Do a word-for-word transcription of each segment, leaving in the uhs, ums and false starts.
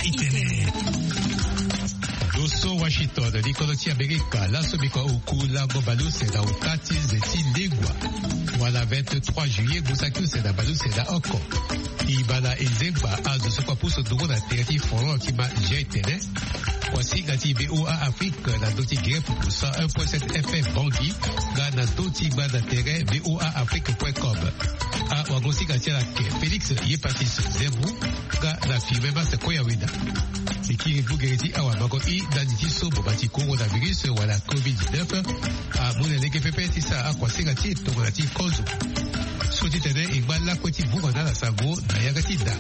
Itene. Doso Washington, ni kodro ti Amerika, laso biko oku lango baleuse na ota ti nze ti lengua. Wala vingt-trois juillet, ngu saki use na baleuse na oko. E ma na e zengba azo so kue apusu ndungu na tere ti forum ti ma G T N. Kuasinga ti V O A Afrique na ndö ti gere pupu cent un point sept F M Bangui, nga na ndö ti gba na tere V O A Afrique point com. Awagosinga ti ala ke Félix Yepatis Zembu, nga na Firmin Mas Koyaweda. E kiri vugere ti awamango i ndali ti so boma ti coronavirus wala covid dix-neuf amu na lege pepe ti sara akuasinga ti e tongana ti kozo. So ti tene e ngba lakue ti vunga na ala sango na yanga ti da.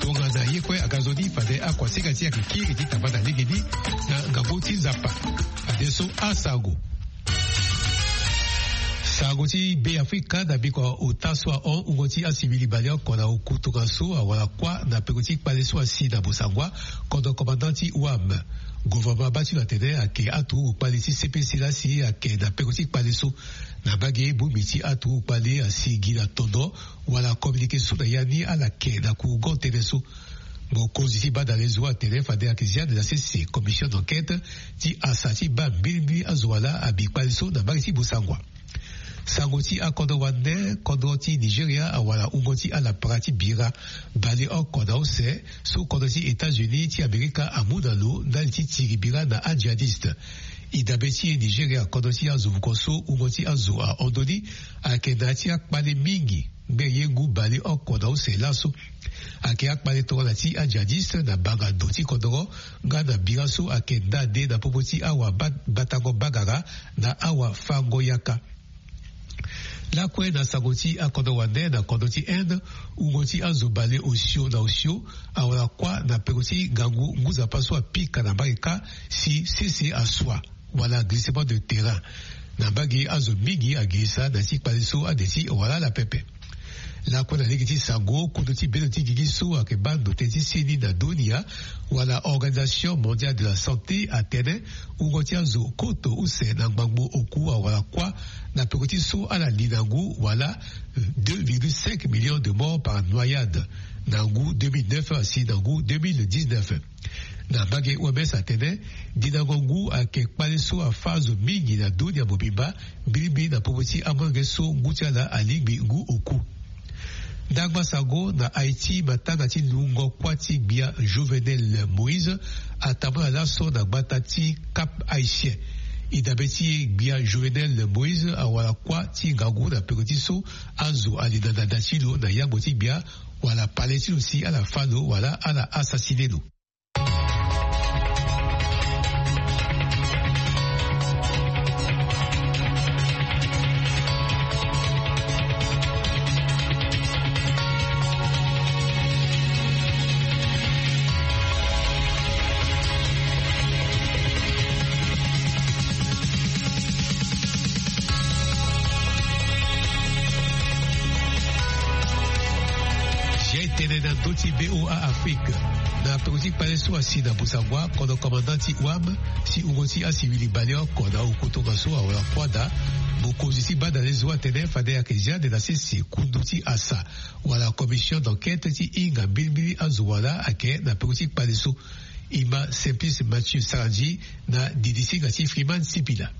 Tongana ye kue aga nzoni fade akuasinga ti e ayeke kiri ti tamba na legeni na ngangu ti Nzapa. Fadeso asango. Sango ti Be Afrika na biko ota so ahon wungo ti asivili baleoko na oku tongaso awara kuâ na peko ti kpale so asi na Bosangwa, kodro commandant ti wam. Gouvernement abaa ti lo atene ayeke aturugu kpale ti C P C laa si ayeke na peko ti kpale so. Na mbage bongbi ti aturugu kpale asi gi na tondo wala communiqué so na ya ni ala yeke na kurugo tënë so. Mokonzi ti badale zo atene fade ayeke zia de na sese commission d'enquête ti asa ti baa mbilimbili azo wala abi kpale so na mbage ti Bosangwa. Sango ti akodro wande, kodro ti Nigeria awara wungo ti alapara ti bira baleoko na use so kodro ti États-Unis ti Amerika amu na lo ndali ti tiri bira na ajihadiste. E dabe ti e Nigeria, kodro ti azo vuko so wungo ti azo ahon ndoni, ayeke na ya ti akpale mingi. Ngbe ye ngu baleoko na use laso. Ayeke akpale tongana ti ajihadiste na banga ndo ti kodoro nga na bira so ayeke nda nde na popo ti awa ba- batango bagara na awa fango yaka. Lakue na sango ti akodro wande na kodro ti Inde, wungo ti azo bale osio na osio awara kuâ na peko ti ngangu ngu Nzapa so apika na mbage kâ si sese asua wala glissement de terrain. Na mbage azo mingi agirisa na ya ti kpale so ade ti wala ala pepe. Lakue na lege ti sango, kundu ti bendo ti gigi so ayeke baa ndo tënë ti seni na dunia wala Organisation Mondiale de la Santé atene wungo ti azo koto use na ngbangbo oku awara kuâ na peko ti so ala li na ngu wala deux virgule cinq millions de morts par noyade na ngu deux mille neuf asi na ngu deux mille dix-neuf. Na mbage O M S atene dinango ngu ayeke kpale so afâ azo mingi na dunia mobimba, mbilimbili na popo ti amolenge so ngu ti ala alingbi ngu oku. Ndangba sango na Haïti, matanga ti lungo kuâ ti gbia Jovenel Moïse atambula laso na gbata ti Cap Haïtien. E dabe ti e gbia Jovenel Moïse awara kuâ ti ngangu na peko ti so azo ali na ndanda ti lo na yangbo ti gbia wala pale ti lo si ala fâ lo wala ala assassiné lo. Jai tene na ndö ti V O A Afrique. Na peko ti kpale so asi na Bosangwa, kodro commandant ti wam, si wungo ti asivili baleoko na oku tongaso awara kuâ daa. Mokonzi ti badale zo atene fade ayeke zia de na sese kundu ti asa wala commission d'enquête ti hinga mbilimbili azo wala ayeke na peko ti kpale so. E ma Simplice Mathieu Sarandji na didisinga ti Freeman Sipila.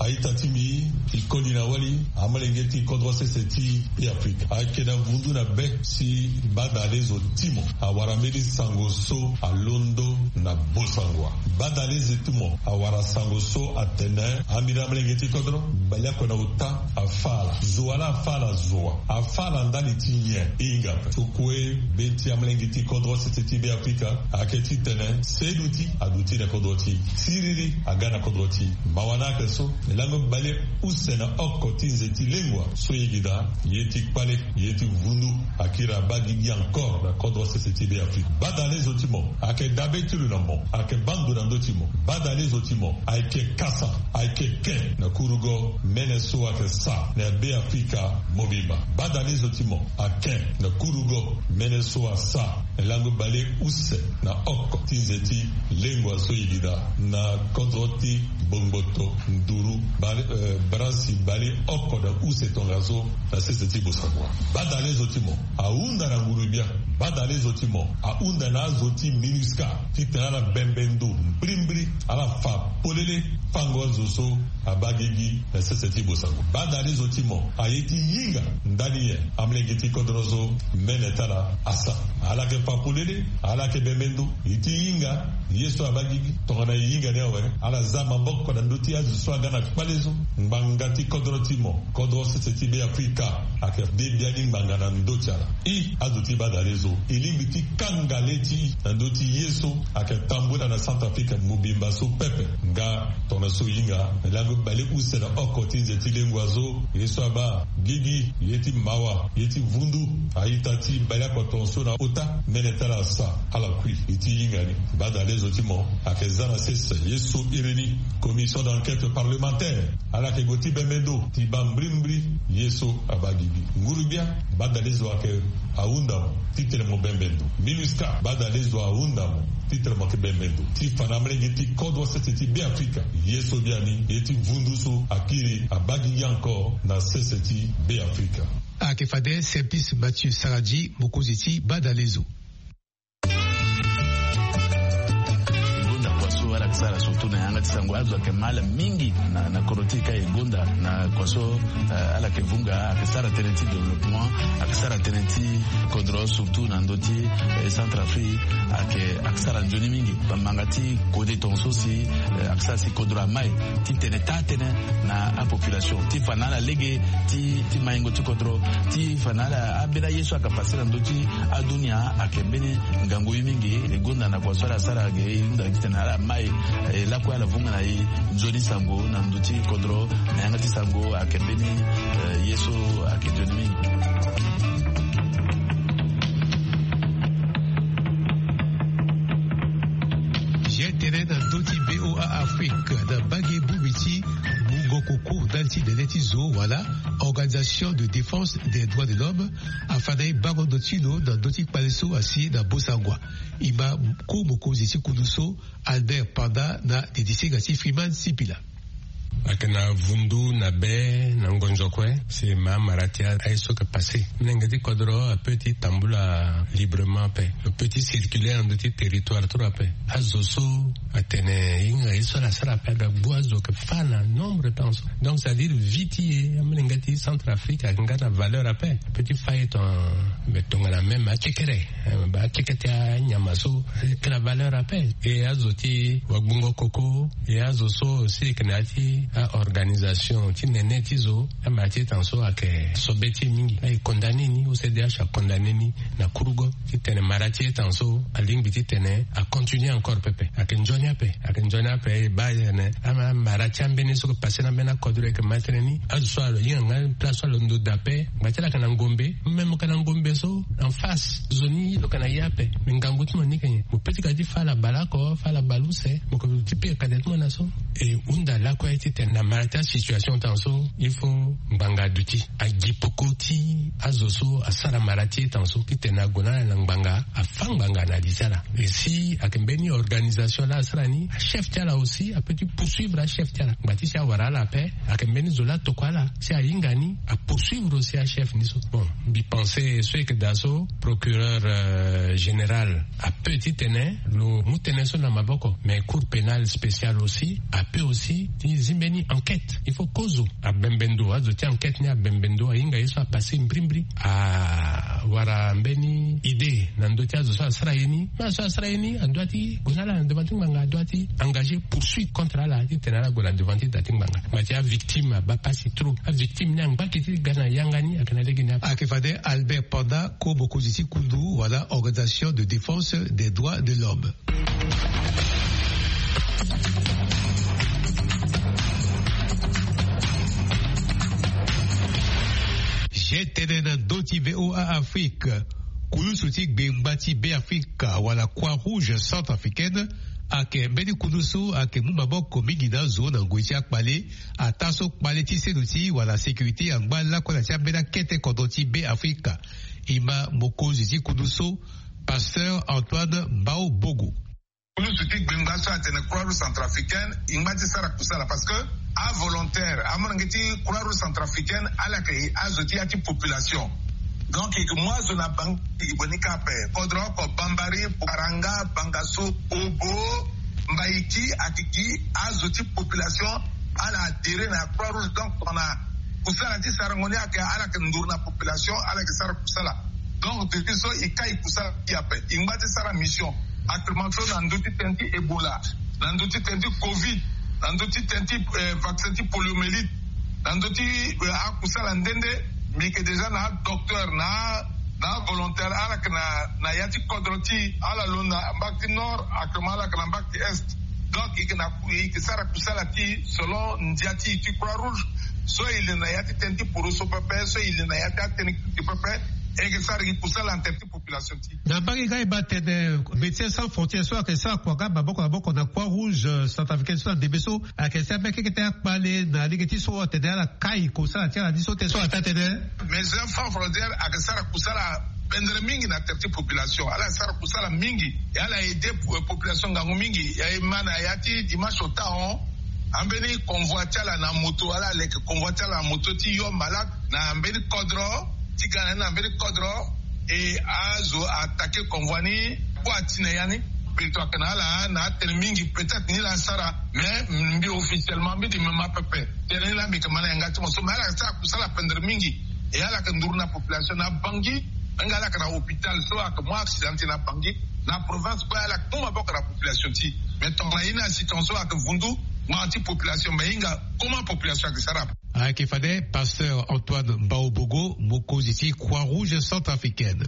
A-ita ti mbi, e koli na wali amolenge ti kodro sese ti Be Afrika. Ayeke na vundu na be si badale zo ti mo awara mbeni sango so alondo na Bosangwa. Badale zo ti mo awara sango so atene ambeni amolenge ti kodro baleoko na ota afâ ala. Zo wala afâ ala zo wa. Afâ ala ndali ti nyen? E hinga ape. So kue be ti amolenge ti kodro sese ti Be Afrika ayeke titene seduti aduti na kodro ti e. Siriri aga na kodro ti e. Mawa na ayeke so, e lango baleuse na oko ti nze ti lengua so e yeke daa, ye ti kpale, ye ti vundu, akiri abaa gigi encore na kodro sese ti Be Afrika. Badale zo ti mo, ayeke dabe ti lo na mo, ayeke baa ndo na ndö ti mo. Badale zo ti mo, ayeke kasa, ayeke ke na kurugo mene so ayeke sara na Be Afrika mobimba. Badale zo ti mo, ake na kurugo mene so asara Lango bale use na oko ti nze ti lengua so e yeda na kodro ti bongboto nduru bale, eh, branche bale oko na use tongaso na sese ti Bosangwa. Badalezo ti mo ahunda na ngurubia. Badalezo ti mo ahunda na azo ti MINUSCA ti tene ala bembe ndo mbrimbri, ala fa polele fango azo so abaa gigi na sese ti Bosangwa. Badalezo ti mo aye ti hinga ndani nyen amolenge ti kodro so mene ti ala asa. Ala yeke fa polele, ala yeke bembe ndo. E ti hinga ye so abaa gigi. Tongana e hinga ni awe, ala za maboko na ndö ti azo so aga na kpale so. Ngbanga ti kodro ti mo, kodro sese ti Beafrika, ayeke de biani ngbanga na ndö ti ala. I azo ti badalezo, e lingbi ti kanga le ti i na ndö ti ye so ayeke tambula na Centrafrique mobimba so pepe. Nga tongana so e hinga na lango bale use na oko ti nze ti lengua so, ye so abaa gigi, ye ti mawa, ye ti vundu, a-ita ti baleoko tongaso na ota mene ti ala asa, ala kui. E ti hinga ni, badalezo ti mo, ayeke za na sese ye so iri ni commission d'enquête parlementaire, ala yeke gue ti bembe ndo ti baa mbrimbri ye so abaa gigi. Ngurubia, badalezo ayeke ahunda mo ti tene mo bembe ndo. MINUSCA, badalezo ahunda mo ti tene mo yeke bembe ndo ti fa na amolenge ti kodro sese ti Beafrika ye so biani ye ti vundu so akiri abaa gigi encore na sese ti Beafrika. Ayeke fade Simplice Mathieu Saradi, mokonzi ti badalezo. E gonda kua so ala yeke sara surtout na yanga ti sango, azo ayeke ma ala mingi na, na kodro ti e ka e gonda na kua so, eh, ala yeke vunga, ayeke sara tënë ti développement, ayeke sara tënë ti kodro surtout na ndö ti, eh, Centrafrique, ayeke, ayeke sara nzoni mingi. Bamanga ti kode tongaso si, eh, ayeke sara si kodro amai ti tene taa tënë na apopulation ti fa na ala lege ti, ti maingo ti kodro, ti fa na ala ambeni aye so ayeke pase na ndö ti adunia, ayeke mbeni ngangu ye mingi. E gonda na kua so ala sara ge, e hunda titene ala mai, eh, lakue ala vunga na e nzoni sango na ndö ti kodro, na yanga ti sango ayeke mbeni, eh, ye so ayeke nzoni mingi. Ye tene na ndö ti B O A Afrique, na mbage bongbi ti mungo koko ndali ti nene ti zo wala Organisation de Défense des Droits de l'Homme afa na e bango ndo ti lo na ndö ti kpale so asi na Bosangwa. E ma ko mokonzi ti kundu so, Albert Panda, na didisinga ti Freeman Sipila. Ayeke na vundu na be na ngonzo kue si e ma amara ti aye so ayeke pase. Molenge ti kodro apeut ti tambula librement ape, lo peut ti circuler na ndö ti territoire ti lo ape. Azo so atene e hinga ye so ala sara ape, ala gbu azo ayeke fâ na nombre tongaso. Donc c'est à dire vie ti e, amolenge ti Centrafrique ayeke nga na valeur ape. Apeut ti fâ ye ton, mais tongana même akekere, eh, ba akeke ti anyama so ayeke na valeur ape. E azo ti wagbungo koko, e azo so aussi ayeke na ya ti a-organisation ti nene ti zo, amara ti e tongaso ayeke sobe ti e mingi. Aye condamné ni, O C D H acondamné ni na kurugo titene mara ti e tongaso alingbi titene acontinuer encore pepe. Ayeke nzoni ape, ayeke nzoni ape, e baa tene ama-, amara ti ambeni so ayeke pase na ambeni akodro ayeke ma tënë ni. Azo so alo hinga nga place so alondo daa ape, ngba ti ala ayeke na ngombe, même ayeke na ngombe so en face, zo ni lo yeke na ye ape. Me ngangu ti mo ni yeke nyen? Mo peut ti ga ti fâ ala bale oko, fâ ala bale use, mo yeke ti pika kanda ti mo na so. E hunda lakue titene na mara ti asituation tongaso, il faut ngbanga aduti, agi peko ti azo so asara mara ti e tongaso titene ague na ala na ngbanga, afâ ngbanga na li ti ala. E si ayeke mbeni organisation laa asara ni, achef ti ala aussi apeut ti poursuivre achef ti ala. Ngba ti si awara ala ape, ayeke mbeni zo laa atokua ala, si ahinga ni, apoursuivre aussi achef ni so. Bon, mbi pense so e yeke daa so, procureur, euh, général apeut titene lo mu tënë so na maboko, mais Cour pénale spéciale aussi apeut aussi ti zi mbeni enquête. Il faut kozo abembe ndo, azo ti enquête ni abembe ndo, ahinga ye so apase mbrimbri, awara mbeni idée na ndö ti azo so asara ye ni. Mais azo so asara ye ni adoit ti gue na ala na devant ti ngbanga, adoit ti engager poursuite contre ala titene ala gue na devant ti da ti ngbanga. Mais ti avictime abaa pasi trop. Avictime ni angbaki ti ga na yanga ni ayeke na lege ni ape. Ayeke fade Albert Panda, ko mokonzi ti kundu wala Organisation de Défense des Droits de l'Homme. Ye tene na ndö ti V O A Afrique, kulusu ti gbengba ti Beafrika wala Croix Rouge Centrafricaine ayeke mbeni kundu so ayeke mu maboko mingi na azo na ngoi ti akpale, ataa so kpale ti seno ti wala sécurité angba lakue na ti ambeni akete kodro ti Beafrika. E ma mokonzi ti kundu so, Pasteur Antoine Mbao Bogo. Kulusu ti gbengba so atene Croix Rouge Centrafricaine e ngba ti sara kusala parce que avolontaire amolenge ti Croix Rouge Centrafricaine ala yeke azo ti ya ti population. Donc e ke mu azo na bangi e ke boni ka ape. Kodro oko Bambari, Paranga, Bangaso, Obo, Mbaiki ake gi azo ti population ala adhérer na Croix Rouge. Donc tongana kusala ti sarango ni ake ala yeke nduru na population ala yeke sara kusala. Donc depuis so e kai kusala ti ape e ngba ti sara mission. Actuellement so na ndö ti tënë ti Ebola, na ndö ti tënë ti covid, na ndö ti tënë ti vaccin ti poliomyélite, na ndö ti akusala nde nde. Mbi yeke déjà na adocteur na na avolontaire ala yeke na ya ti kodro ti ala lo na mbage ti nord actuellement ala yeke na mbage ti est. Donc e yeke na e yeke sara kusala ti selon ndia ti e ti Croix Rouge. So e li na ya ti tënë ti poro so pepe so e li na ya ti atënë ti pepe e yeke sara gi kusala na tënë ti population ti e. Na mbage nga e baa tene Médecins Sans Frontières so ayeke sara kua nga maboko na maboko na Croix Rouge Centrafricaine so na ndembe so ayeke sara mbeni keke ti akpale na lege ti so atene ala kai kosala ti ala ni so tene so ala taa tene. Médecins Sans Frontières ayeke sara kusala pendere mingi na tere ti population ala sara kusala mingi. E ala aide population ngangu mingi. E ma na ya ti dimanche ota hon ambeni convoi ti ala na moto ala leke convoi ti ala na moto ti yo malade na mbeni kodro ti ga na ni na mbeni kodro. E azo atake convoi ni kue ati na ya ni. Mbi to ayeke na ala na atene mingi peut-être ni la asara mais mbi officiellement mbi di mema pepe. Tene ni la mbi yeke ma na yanga ti mo so mais ala yeke sara kusala pendere mingi. E ala yeke nduru na population na bangi. Nga ala yeke na hôpital so ayeke mu accident ti na bangi na province kue ala yeke mu maboko na population ti e. Mais tongana ye ni asitance so ayeke vundu ngbanga ti population me hinga comment population ayeke sara. Ayeke fade Pasteur Antoine Mbaobogo mokonzi ti Croix Rouge Centrafricaine.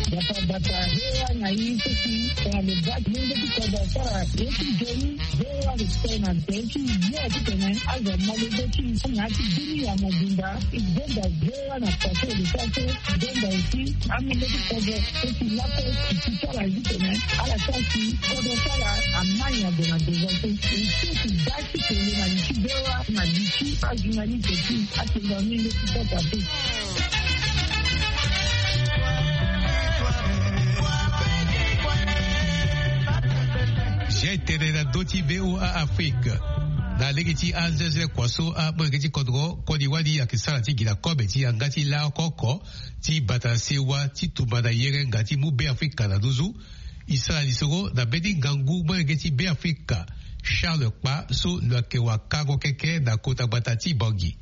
Bata bata hewa na ye so si tongana lo baa ti mungo ti kodro asara ye ti nzoni. Hewa respect na nzoni ti ye ti tene azo amolenge ti e so na ya ti bini ya mobimba. E zonda hewa na pase lo sara so zonda aussi amolenge ti kodro so si lape ti ti sara ye ti tene ala sara si kodro sara amai azo na devant so e so si baa ti tene na li ti hewa na li ti ajournaliste ti atenga mingi ti kota te. Zia e tene na ndö ti V O A Afrique na lege ti anzezele kua so amolenge ti kodro koli wali ayeke sara ti gi na kobe ti yanga ti laa oko oko ti bata sewa ti tumba na yere nga ti mu Beafrika na nduzu. E sara lisoro na mbeni ngangu molenge ti Beafrika Charles Kpa so lo yeke wakango keke na kota gbata ti Bangui.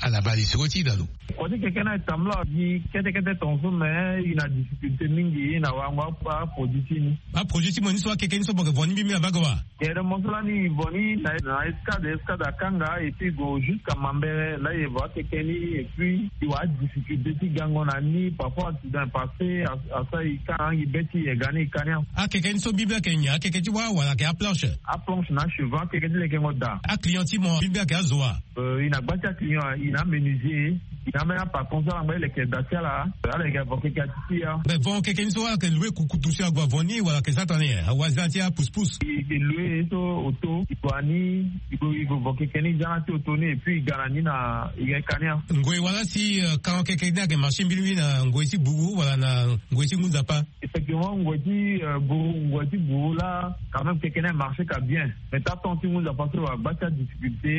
Ala ma lisoro ti e na lo. Kua ti keke ni ayeke tambula gi kete kete tongaso me e na difficulté mingi e na warango aproduit ti ni. Aproduit ti mo ni so akeke ni so mo yeke vo ni mbimbi na mbage wa? Gere mo so lani e vo ni na escade escade akanga et puis e gue jusqu'à Mambere la e vo akeke ni et puis e wara difficulté ti gango na ni parfois accident e passé. Asara e ka na angi be ti e ga ni e ka ni. Akeke ni so mbimbi ayeke nyen? Akeke ti wâ wala ayeke aplanche? Aplanche na achevant akeke ti lekengo daa. Aclient ti mo mbimbi ayeke azo wa? E na gba ti aclient e na amenuisier e na ambeni apatron so ala ngba ti leke daa ti ala. Ala yeke avo keke ati ti ya. Me vo keke ni so ala yeke loue kukutu si ague avo ni wala ayeke sara tongana nyen? Awazi ala ti apouspousse. E yeke loue so auto e gue na ni e gue e gue vo keke ni e za na ti auto ni et puis e ga na ni na e ga e ka ni. Ngoi wala si kango keke ni ayeke marché mbirimbiri na ngoi ti buru wala na ngoi ti ngu nzapa? Effectivement ngoi ti buru ngoi ti buru la quand même keke ni amarché ka bien. Mais ta temps ti ngu nzapa so wala gba ti adifficulté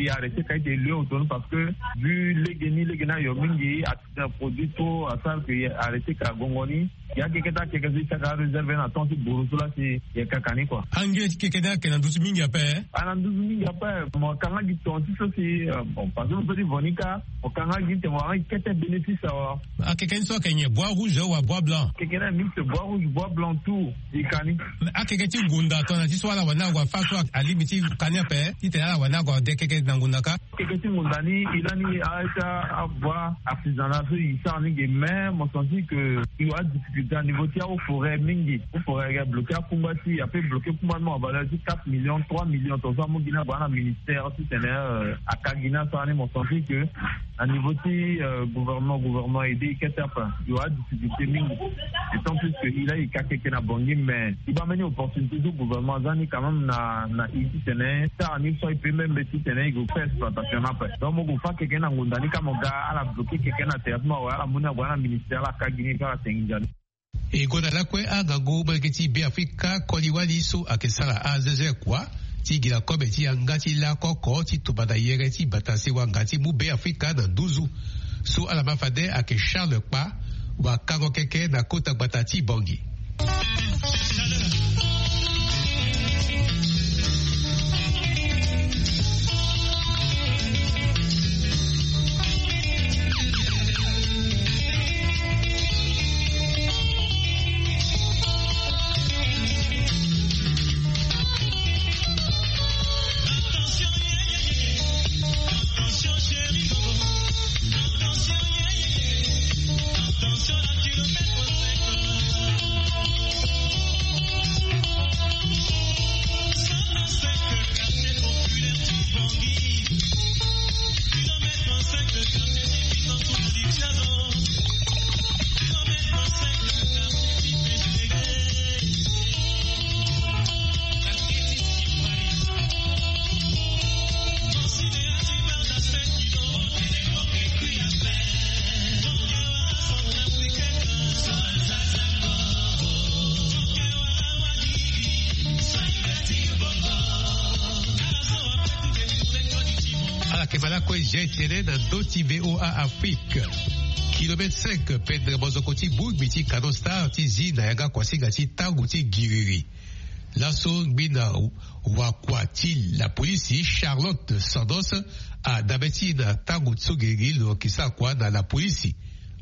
e arrêté ka ete e loue auto ni parce que vu lege ni lege ni ayo mingi. Accident produit trop asara ke e arrêté ka gongo ni. Ya keke ti akeke so e saka aréserve na temps ti buru so la si e kaka ni kua. Ange ti keke ni ayeke na nduzu mingi ape? Ana nduzu mingi ape. Mo kanga gi ton ti so si bon parce que mo so ti vo ni ka mo kanga gi te mo wara gi kete bénéfice awa. Akeke ni so ayeke nyen bois rouge wala bois blanc? Keke ni mix bois rouge bois blanc tout. E ka ni. Akeke ti ngunda tongana ti so ala wani ague afa so alingbi ti ka ni ape titene ala wani ague ade keke na ngunda ka? Keke ti ngunda ni e lani aye ti abois artisanal so e sara ni ge mais mo senti ke e wara difficulté na niveau ti ahaut forêt mingi. Haut forêt ayeke bloqué akungba ti e ape bloqué kungba ni mo na valeur ti quatre millions trois millions tongaso amu gi ni ague na ministère titene aka gi ni asara ni mo senti ke Na niveau ti gouvernement gouvernement ede e kete ape. E wara difficulté mingi. Etant plus que e laa e ka keke na bangi mais e baa mbeni opportunité so gouvernement aza ni quand même na na e titene sara ni so e pe même titene e go fa exploitation ni ape. Donc mo go fa keke na ngonda ni ka mo ga ala bloke keke na théâtre mo awe ala mu ni ague na ministère ala ka gi ni ka ala tengi ndia ni. E gonda lakue angangu molenge ti Beafrika koli wali so ayeke sara azeze kua ti gi na kobe ti yanga ti lako oko ti tumba na yere ti bata sewa nga ti mu Beafrika na nduzu. So ala ma fade ayeke Charles Kpa wakango keke na kota gbata ti Bangui. Ala yeke ma lakue Jean Etienne na ndö ti VOA Afrique. Kilomètre cinq pendere mozoko ti bongbi ti Canal Star ti zi na yanga kuasinga ti tango ti giriri. Laso ngbi na wakua ti lapolisi Charlotte Sandos adabe ti na tango so giriri lo yeke sara kua na lapolisi.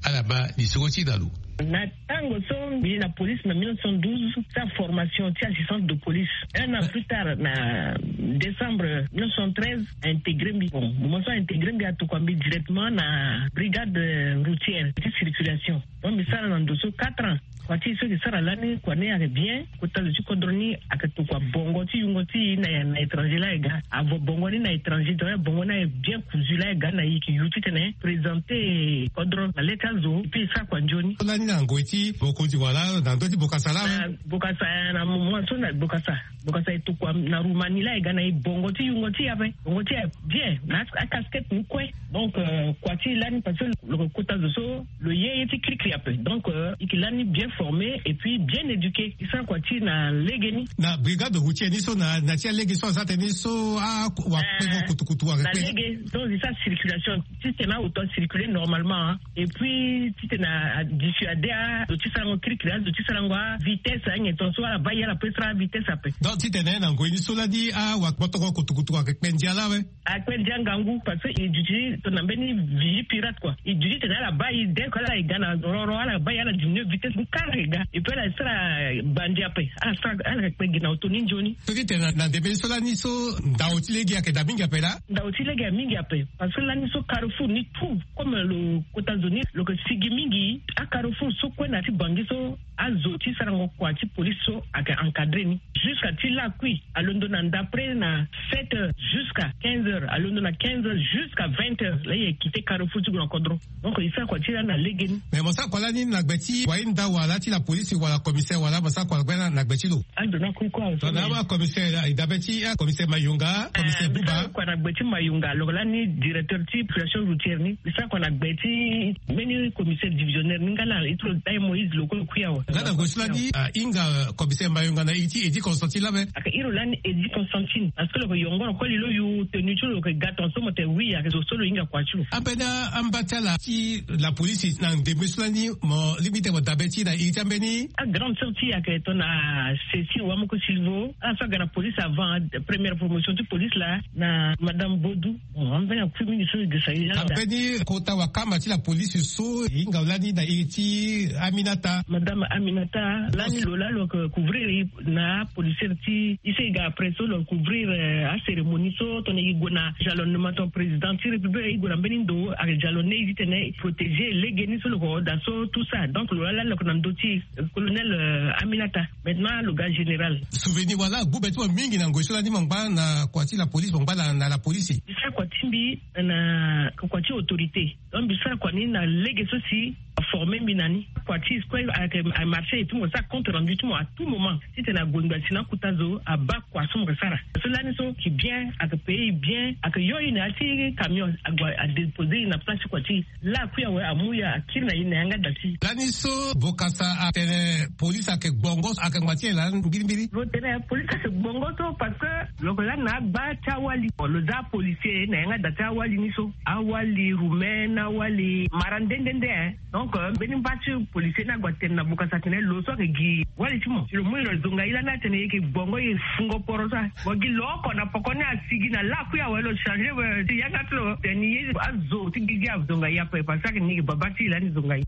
Ala ma lisoro ti na lo. Na tango so mbi ye na police na mille neuf cent douze, sa formation ti assistante de police. Un an plus tard, na décembre mille neuf cent treize, a intégré mbi. Bon, moment so a intégré mbi, atokua mbi directement na brigade routière ti circulation. Donc mbi sara na ndo so quatre ans. Kua ti e so e ke sara lani, kua ni ayeke bien. Kota zo ti kodro ni ayeke tokua bongo ti yungo ti e na, na étranger laa e ga. Avo bongo ni na étranger, donc bongo ni ayeke bien kuzu laa e ga na e, e ke yu titene présenter kodro na le ti azo, et puis e sara kua nzoni. Lani na ngoi ti mokonzi wala na ndö ti bokasa laa? Na bokasa, na moment so na bokasa. Bokasa e tokua na Roumanie laa e ga na e, bongo ti yungo ti e ape. Bongo ti e bien, na a, a casquette ni kue. Donc, euh, kua ti e lani parce que lo ke kota zo so lo ye ye ti kirikiri ape. Donc, euh, e ke lani bien formé et puis bien éduqué. E sara kua ti e na lege ni. Na brigade routière ni so na, na ti alege so aza tënë ni so, ah, wakpengo kutukutu, wakpengo. Na lege, donc e sara circulation titene auto acirculer normalement, hein. Et puis titene a dissuader azo ti sarango kirikiri, azo ti sarango avitesse, anyen ton so ala baa e ala pe sara avitesse ape. Donc titene na ngoi ni so lani, ah, wakpengo kutukutu ayeke kpe ndia laa awe? Akpe ndia ngangu, parce que e duti tongana mbeni vigie pirate quoi. E duti titene ala baa e dès que ala e ga na roro, ala baa e ala diminuer vitesse ni kara e ga. Et puis ala sara bandi ape. Ala sara, ala kpe gi na auto ni nzoni. Soki tene na ndembe ni so lani so ndao ti lege ayeke daa mingi ape laa? Ndao ti lege aye mingi ape. Parce que lani so carrefour ni tout, comme lo kota zo ni lo ke sigi mingi, a carrefour so kue na ti Bangui so azo ti sarango kua ti police so ayeke encadrer ni. Jusqu'à ti lakui alondo na ndapre na sept heures jusqu'à quinze heures, alondo na quinze heures jusqu'à vingt heures, laa e quitter carrefour ti gue na kodro. Donc e sara kua ti e lani na lege ni. Mais mo sara kua lani na gbe ti wahinda wala ti lapolisi wala commissaire wala mo sara kua na gbe ti lo? Ando na kue kue awe. Tongana commissaire, e dabe ti, ah, commissaire Mayunga, commissaire Buba. Kua na gbe ti Mayunga, lo lani directeur ti population routière ni. E sara kua na gbe ti mbeni commissaire divisionnaire ni nga na iri ti lo Dai Moïse, lo kue lo kui awe. Nga na ngoi so lani, ah, hinga, euh, commissaire Mayunga na iri ti Eddy Constantine laa awe? Ayeke iri lo lani Eddy Constantine. Parce que lo yeke yongoro koli, lo yu tenue ti lo, lo yeke ga tongaso mo tene oui, ayeke zo so lo hinga kua ti lo. Ambeni amba ti ala ti lapolisi na ndembe so lani, mo lingbi tene mo dabe ti na iri ti ambeni? Agrande sœur ti e ayeke tongana Cécile Wamoko Silvo. Ala so aga na police avant, première promotion ti police laa, na madame Bodou. Bon, ambeni akui mingi so e gesa e laa. Ambeni kota wakamba ti lapolisi so e hinga lani na iri ti Aminata. Madame Aminata. Minata lani lo laa lo yeke couvrir na apolisier ti e so e ga après so lo couvrir acérémonie so tongana e gue na jalonnement tongana président ti république e gue na mbeni ndo ayeke jalonné e titene e protéger lege ni so lo yeke hoo daa so tout ça. Donc lo laa lani lo yeke na ndö ti e, colonel aminata. Maintenant lo ga général. Souvenir wala agbu be ti mo mingi na ngoi so lani mo ngba na kua ti la police mo ngba na la police. Mbi sara kua ti mbi na kua ti autorité. Donc mbi sara kua ni na lege so si aforme mbi na ni. Kua ti e kue ayeke amarché et puis mo sara compte rendu ti mo à tout moment titene ague ngbasi na akuta zo abaa kua so mo yeke sara. So lani so ki bien ayeke paye e bien ayeke yo e na ya ti camion ague adéposer e na place ti kua ti e. Laa akui awe amu ya akiri na e na yanga da ti e. Lani so vokasa atene police ayeke gbongo ayeke ngba ti e laa mbirimbiri. Lo tene police ayeke gbongo so parce que lo yeke lani na agba ti awali lo za apolisier na yanga da ti awali ni so. Awali roumain na awali mara nde nde nde. Donc mbeni mba ti policier ni ague atene na vokasa atene lo so ayeke gi wali ti mo si lo mu e lo zonga e lani atene e yeke gbongo e fungo poro so. Mo gi lo oko na poko ni asigi na lakui awe lo changer ti yanga ti lo tene ye azo ti gigi azonga e ape parce que ni yeke baba ti e lani zonga e.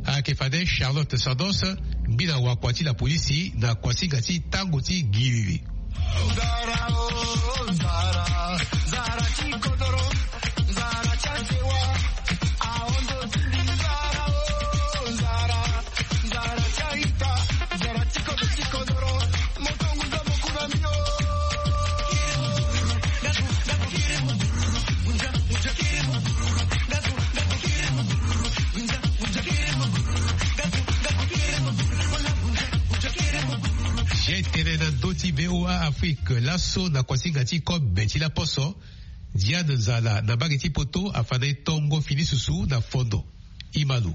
Ayeke fade Charlotte Sandos, mbi na wakua ti la polisi na kuasinga ti tango ti giriri. Ye tene na ndö ti VOA Afrique laso na kuasinga ti kobe ti laposo. Diane Nzala na mbage ti poto afa na e tongo fini susu na fondo. Imalo.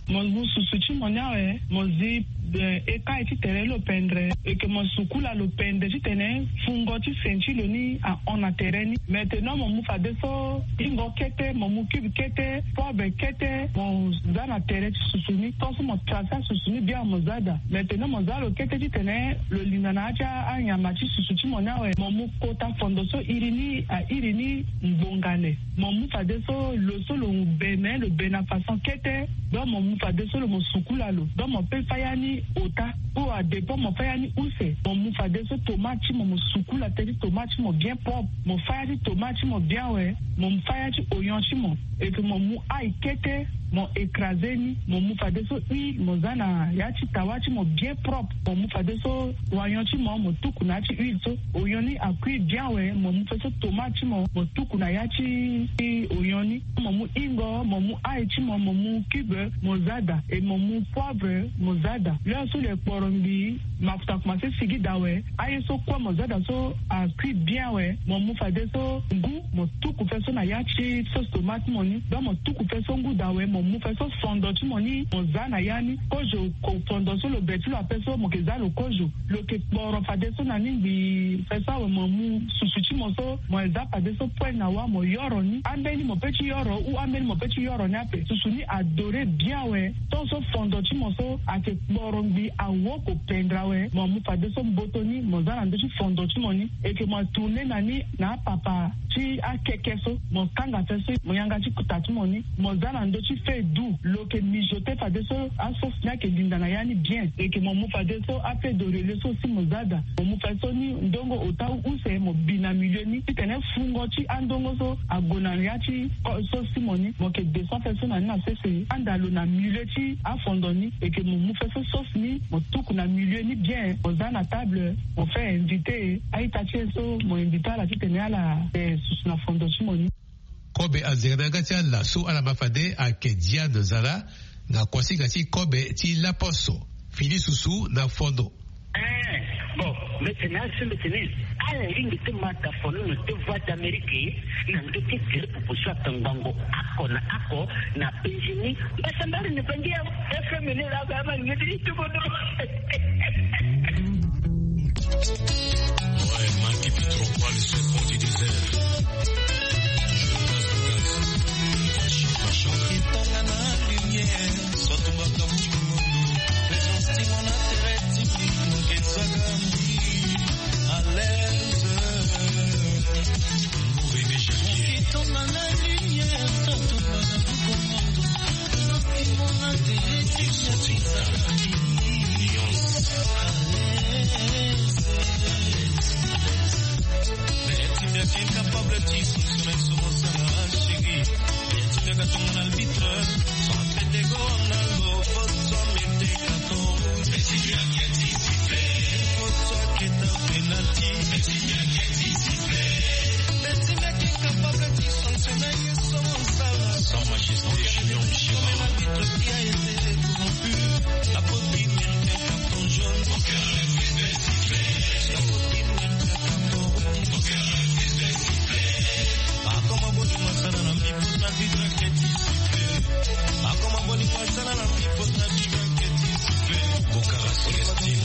Mo mu susu ti mo ni awe mo zi. Ekai ti tere lo pendre eke mo sukula lo pendre titene fungo ti sen ti lo ni ahon na tere ni. Maintenant mo mu fadeso ingo kete mo mu cube kete poivre kete mo za na tere ti susu ni tonso mo trace asusu ni bien mo za daa. Maintenant mo za lo kete titene lo linda na ya ti anyama ti susu ti mo ni awe mo mu kota fondo so iri ni airi ni ngbonga le. Mo mu fadeso lo so lo be me lo be na façon kete. Donc mo mu fadeso lo mo sukula lo donc mo pe fâ ya ni ota ou adépend mo fâ ya ni use. Mo mu fadeso tomate ti mo mo sukula teti tomate ti mo bien propre. Mo fâ ya ti tomate ti mo bien awe. Mo mu fâ ya ti oyon ti mo eke mo mu ai kete. Mo écrase ni mo mu fadeso huile mo za na ya ti tawa ti mo bien propre. Mo mu fadeso oyon ti mo mo tuku na ya ti huile so. Oyon ni akui bien awe mo mu fadeso tomate ti mo mo tuku na ya ti oyon ni. Mo mu ingo mo mu ai ti mo mo mu cube mo za daa e mo mu poivre mo za daa. L'heure so lo ekporo ngbii mafuta akomanse sigi daa awe. Aye so kue mo za daa so akui bien awe. Mo mu fadeso ngu mo tuku fe so na ya ti sauce tomate ti mo ni. Donc mo tuku fe so ngu daa awe mo mu fe so fondo ti mo ni mo za na ya ni. Kozo fondo so lo be ti lo ape so mo yeke za lo kozo. Lo yeke kporo fadeso na ni ngbii fe so awe mo mu susu ti mo so mo za fadeso poêle na wâ mo yoro ni ambeni mo pe ti yoro ou ambeni mo pe ti yoro ni ape susu ni adore bien awe. Tonso fondo ti mo so ayeke kporo ngbii awoko pendre awe mo mu fadeso mboto ni mo za na ndö ti fondo ti mo ni. Eke mo atourne na ni na apapa ti akeke so mo kanga fe so mo yanga ti kuta ti mo ni. Mo za na ndö ti feu doux lo yeke mijote fadeso asauce ni ayeke linda na ya ni bien. Eke mo mu fadeso afeu de relais so si mo za daa. Mo mu fadeso ni ndongo ota use mo bi na milieu ni titene fungo ti andongo so ague na ya ti sauce ti mo ni mo yeke descend fadeso na ni na sese anda lo na milieu ti afondo ni. Eke mo mu fadeso sauce ni mo tuku na milieu ni bien mo za na table mo fait invité a-ita ti e so mo invité ala titene ala susu na fondo ti mo ni. Kobe azere na yanga ti ala so ala ma fade ayeke Diane Zala na kuasinga ti kobe ti laposo fini susu na fondo. Bon, mbi tene asi mbi tene ala lingbi ti ma daa fono na te Voix d'Amérique na ndö ti tere popo so atangbango oko na oko na penzi ni. Mbasambala ni bangi ya F M ni la ba ma ngeti ni tuko do. Ouais, marqué plus trop quoi le serpent du désert. Mais ti mbi ayeke incapable ti sanctionner so mo sara, chéri. Mais ti mbi ayeke tongana arbitre. Soit pété go na lo, faut soit mettre carton. Mais si tu inquiètes, il siffle. Faut soit que ta penalty. Mais si tu inquiètes, il siffle. Mais ti mbi ayeke incapable ti sanctionner ye so mo sara. Sans majesté, Junior Mishima. Comme l'arbitre qui a été corrompu. La faute qui mérite un carton jaune. Mon cœur refuse de siffler. La faute qui mérite un carton rouge. Mon cœur refuse de siffler. Ah, comment bolingo asala na mbi, faut arbitre qui a été sifflé. Ah, comment bolingo asala na mbi, faut arbitre qui a été sifflé. Bokara Célestine.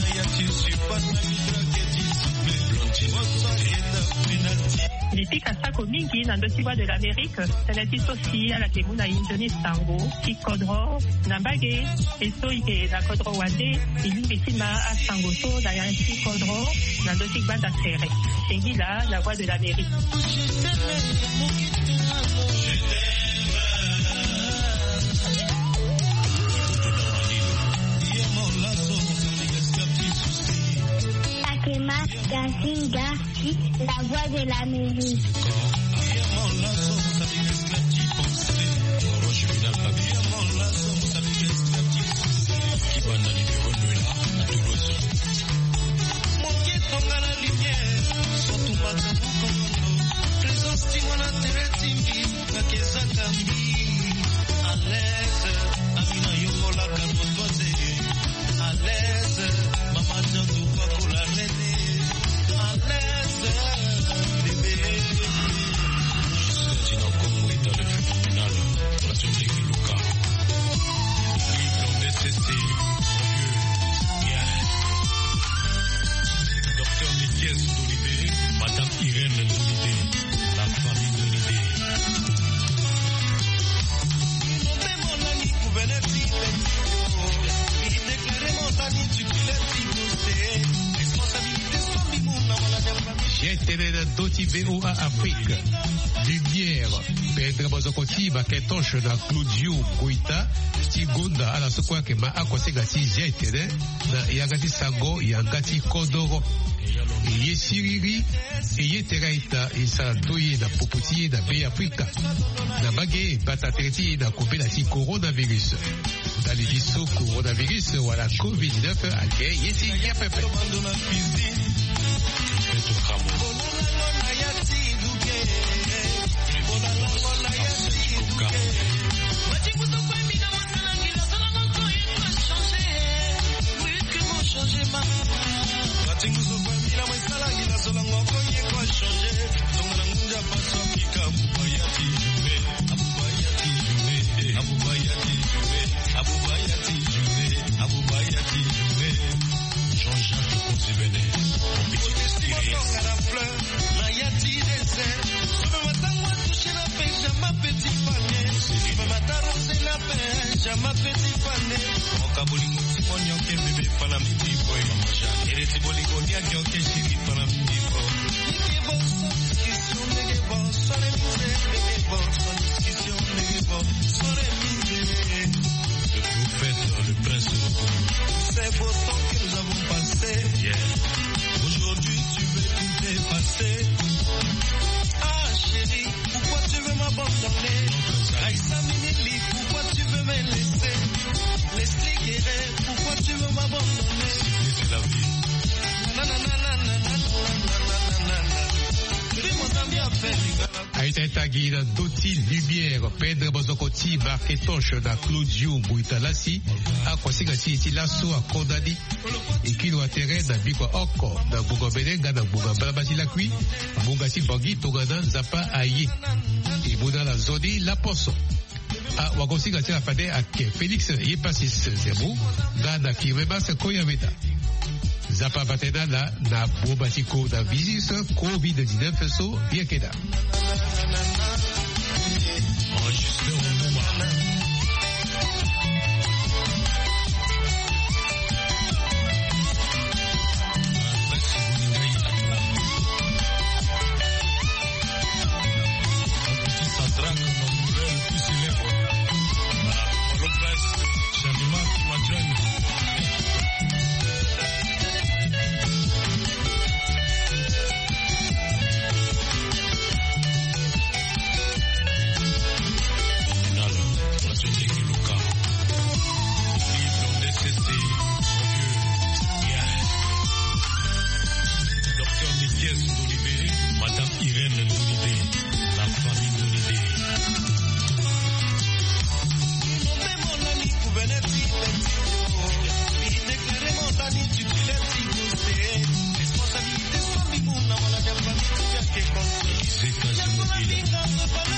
Faut arbitre qui a été sifflé. Blondine. Faut arbitre qui a été penalty. Lipika sako mingi na ndö ti Voix de l'Amérique, tënë ti so si ala yeke mu na e nzoni sango ti kodro na mbage. E so e yeke na kodro wande, e lingbi ti ma asango so na ya ti kodro na ndö ti gbanda tere. Singila na Voix de l'Amérique. Akema Gazinga. La Voix de l'Amérique. À l'aise, mama Diantou Pakola René. À l'aise, bébé. Justin Dina Kongo est dans le phénoménal. Façon de Luka. Vive l'homme de C C. Mon vieux. Yeah. Docteur Nikias Dolibé. Madame Irène Dolibé. La famille Dolibé. G T N na ndö ti V O A Afrique. Lumière, pendre maboko ti Marc-Ange na Claudio Goita ti gonda ala so kue ayeke ma akonsenga ti G T N na yanga ti sango yanga ti kodoro. E ye siriri, e ye tere aita e sara ndö ye na popo ti e na Be Afrika. Na mbage e bata tere ti e na kobela ti coronavirus. Ndali ti so coronavirus wala covid dix-neuf ayeke ye ti ngia pepe. Jean-Jacques Konzibene, mon petit esprit. Na ya ti désert. Sobe matango atouché na Benjamin Petit Pané. Sobe mataro sena Benjamin Petit Pané. Moka bolingo ti mo nyoke bébé fana miti boy. Ere ti bolingo ni a nyoke chéri fana miti boy. Nege bo sans discussion, nege bo sans remise, nege bo sans discussion, nege bo sans remise. Le prophète, le prince. Ces beaux temps que nous avons passés. Yeah. Aujourd'hui, tu veux tout effacer. Ah, chérie, pourquoi tu veux m'abandonner? Raïssa Minili, pourquoi tu veux me laisser? Leslie Guéret, pourquoi tu veux m'abandonner? C'est la vie. Na, na, na. Fais mon ami à faire. Aita e tagi na ndö ti lumière, pendre maboko ti Marc-Ange na Claudio Goita lasi, akonsenga ti e ti laso akonda ni. E kiri wa tere na bikua oko na ngbonga mbene nga na ngbonga mbalambala ti lakui, ngbonga ti Bangui tongana Nzapa aye. E mu na ala nzoni laposo. Ah, wakonsinga ti ala fade ayeke Félix Yepasis Zerbo nga na Firmin Mas Koyameda. Nzapa ava tene na ala na boma ti coronavirus, covid dix-neuf so yeke daa. Enregistré au Mouma. Sadraque, mon frère le plus célèbre. Voilà, Polo Prince, Shamima Kimadjani. Les États-Unis d'Amérique.